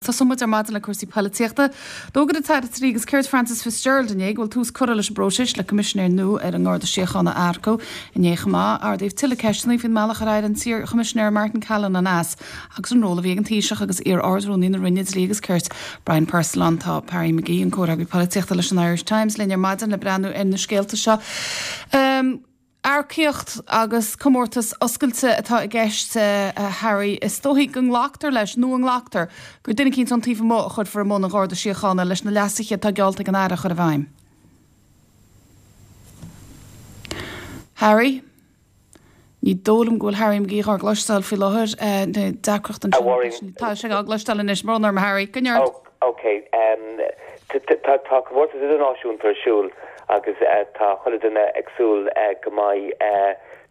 Tosóidh muid ar maidin le cúrsaí poilitíochta. D'fhógair an tAire Dlí agus Cirt Frances Fitzgerald inné go bhfuil tús curtha leis an bpróiseas le Coimisinéir nua ar an nGarda Síochána a earcú. Inné chomh maith, ardaíodh tuilleadh ceisteanna faoin mbealach ar éirigh an t-iar-Choimisinéir Martin Callinan as agus an ról a bhí ag an Taoiseach agus iar-Ard-Rúnaí na Roinne Dlí agus Cirt, Brian Purcell ann. Tá Harry McGee, an comhfhreagraí polaitíochta leis an Irish Times, linn ar maidin le breathnú ar na scéalta seo. Earcaíocht agus comórtas oscailte atá i gceist, a Harry. Is dóichí go nglactar leis, nó an nglactar, gur duine eicínt ón taobh amuigh a chuirfear i mbun an Gharda Síochána leis na leasuithe atá geallta ag an Aire a chur i bhfeidhm. Harry? Ní dóigh liom go bhfuil Harry McGee dhár gcloisteáil faoi láthair. Deacracht ansin. Tá sé á gcloisteáil anois. Brón orm, a Harry. Coinnigh ort. Ok. Tá comórtas idirnáisiúnta ar siúl agus tá chuile duine ag súil go mbeidh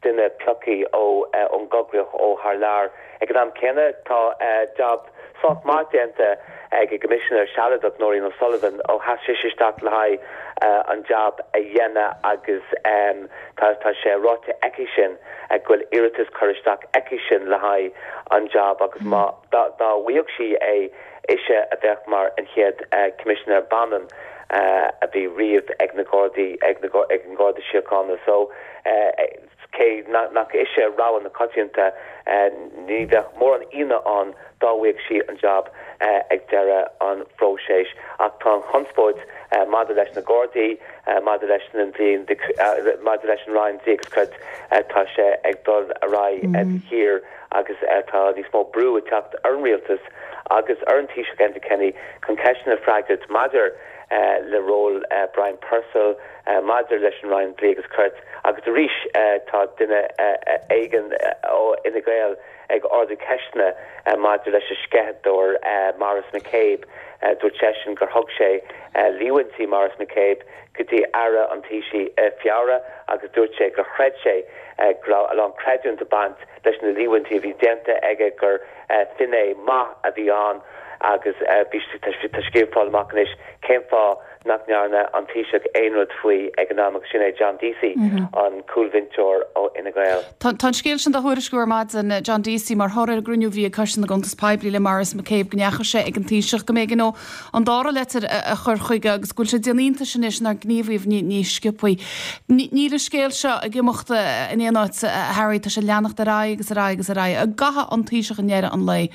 duine pioctha ón gcoigríoch ó thar lear. Ag an am céanna tá jab sách maith déanta ag an gCoimisinéir sealadach, Nóirín O'Sullivan, ó sheas sise isteach le haghaidh an jab a dhéanamh agus tá sé ráite aici sin go bhfuil iarratas curtha isteach aici sin le haghaidh an jab agus má dá bhfaigheadh sí é Ise a bheadh mar an chéad Coimisinéir baineann a bhí riamh ag na Gardaí, ag an Gharda Síochána. So, cé nach ise rogha na coitianta, ní bheadh mórán ionadh ann dá bhfaigheadh sí an jab ag deireadh an phróisis. Ach tá an chonspóid maidir leis na Gardaí, maidir leis an dlí, maidir leis an Roinn Dlí agus Cirt, tá sé ag dul ar aghaidh de shíor agus tá níos mó brú ag teacht ar an rialtas agus ar an Taoiseach Enda Kenny chun ceisteanna a freagairt maidir le ról Brian Purcell, maidir leis an Roinn Dlí agus Cirt agus arís tá duine éigin ó Fhine Gael ag ardú ceisteanna maidir leis an sceitheadóir Maurice McCabe. Dúirt seisean gur thug sé líomhaintí Maurice McCabe go dtí Aire an Taoisigh i Feabhra agus dúirt sé gur chreid sé go raibh a lán creidiúint ag baint leis na líomhaintí a bhí déanta aige gur finné maith a bhí ann agus bhí tá sé ag fáil amach anois cén fáth nach ndearna an Taoiseach aon rud faoi ag an am agus sin é John Deasy, an cúlbhinseoir ó Fhine Gael. Tá an scéal sin dá thuairisciú ar maidin, John Deasy, mar thoradh ar an gcruinniú a bhí ag Coiste na gCuntas Poiblí le Maurice McCabe go ndeachaigh sé ag an Taoiseach go mb'éigean dó an dara leitir a chur chuige agus go bhfuil sé ag déanamh iontais anois nár gníomhaíodh níos sciobthaí. Níl an scéal seo ag imeacht in aon áit, a Harry, tá sé ag leanacht ar aghaidh agus ar aghaidh agus ar aghaidh. An gcaithfidh an Taoiseach i ndeireadh an lae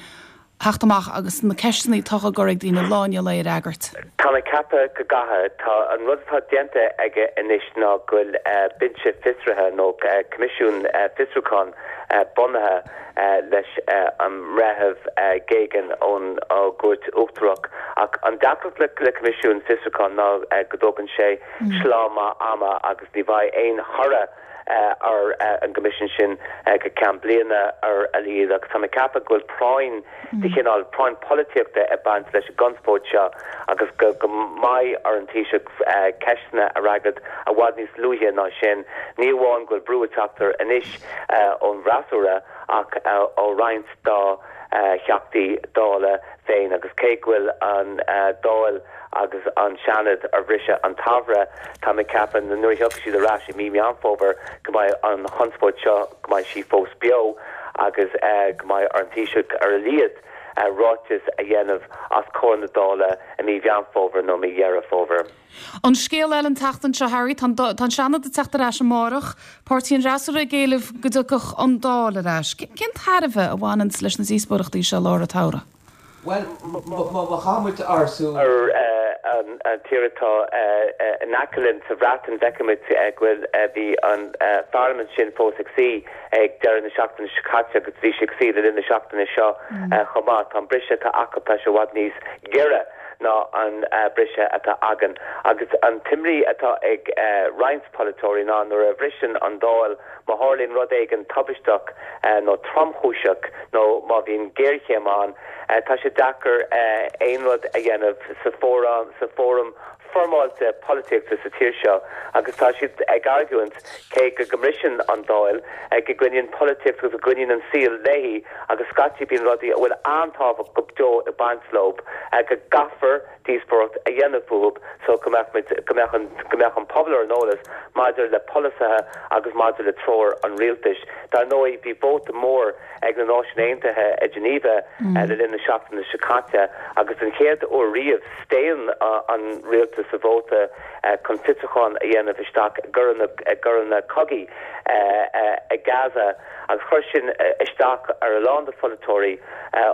theacht amach agus na ceisteanna atá á gcur ag daoine lá i ndiaidh lae a fhreagairt? Tá mé ag ceapadh go gcaithfidh. Tá an rud atá déanta aige anois ná go bhfuil binse fiosraithe nó coimisiún fiosrúcháin bunaithe leis an mBreitheamh Geoghegan ón gCúirt Uachtarach. Ach an deacracht le coimisiún fiosrúcháin ná go dtógann sé sleá maith ama agus ní bheidh aon thoradh ar an gcoimisiún sin go ceann bliana ar a laghad. Agus tá mé ag ceapadh go bhfuil práinn de chineál, práinn polaitíochta ag baint leis an gconspóid seo agus go mbeidh ar an Taoiseach ceisteanna a fhreagairt i bhfad níos luaithe ná sin. Ní amháin go bhfuil brú ag teacht air anois ón bhfreasúra ach ó roinnt dá Theachtaí Dála féin agus cé go bhfuil an Dáil agus an Seanad ar bhriseadh an tsamhraidh, tá mé ag ceapadh nuair a thiocfaidh siad ar ais i mí Meán Fómhair go mbeidh an chonspóid seo, go mbeidh sí fós beo agus go mbeidh ar an Taoiseach ar a laghad ráiteas a dhéanamh os comhair na Dála i mí Mheán Fómhair nó mí Dheireadh Fómhair. An scéal eile an tseachtain seo, Harry, tá an Seanad ag teacht ar ais amárach, páirtí an fhreasúra ag éileamh go dtiocfadh an Dáil ar ais. Cén tairbhe a bhaineanns leis na díospóireachtaí seo i lár an tsamhraidh? Bhuel, má chaitheann muid ár súil. ar an tír atá in aice linn sa Bhreatain, feicimid go bhfuil, bhí an pharlaimint sin fós ag suí ag deireadh na seachtaine seo caite agus bhí sí ag suí le linn na seachtaine seo chomh maith. Tá an briseadh atá acu, tá sé i bhfad níos giorra ná an briseadh atá againn. Agus an t-imní atá ag roinnt polaiteoirí ná nuair a bhriseann an Dáil, má tharlaíonn rud éigin tubaisteach nó tromchúiseach nó má bhíonn géarchéim ann, tá sé deacair aon rud a dhéanamh sa fóram. foirmeáilte polaitíochta sa tír seo agus tá siad ag argóint, cé go go mbriseann an Dáil, go gcoinníonn polaitíocht agus go gcoinníonn an saol léi agus scaití bíonn rudaí a bhfuil an-tábhacht go deo ag baint leo, go gcaithfear díospóireacht a dhéanamh fúthu so go mbeadh muid, go mbeadh an, go mbeadh an pobal ar an eolas maidir le polasaithe agus maidir le treoir an rialtais. Dar ndóigh bhí vóta mór ag na Náisiúin Aontaithe i Geneva le linn na seachtaine seo caite agus den chéad uair riamh staon an rialtas sa vóta chun fiosrúchán a dhéanamh isteach i gcoireanna cogaidh i Gaza agus chuir sin isteach ar a lán de pholaiteoirí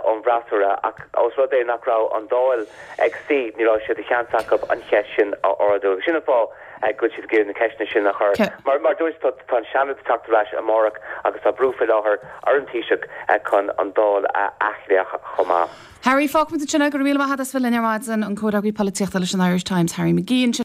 ón bhfreasúra ach ós rud é nach raibh an Dáil ag suí ní raibh sé de sheans acu an cheist sin a ardú agus sin an fáth go bhfuil siad ag iarraidh na ceisteanna sin a chur. Mar a dúirt tú, tá an Seanad ag teacht ar ais amárach agus tá brú faoi láthair ar an Taoiseach chun an Dáil a athghlaoch chomh maith. Harry, fágfaimid ansin é. Go raibh míle maith agat as bheith linn ar maidin, an comhfhreagraí polaitíochta leis an Irish Times, Harry McGee ansin.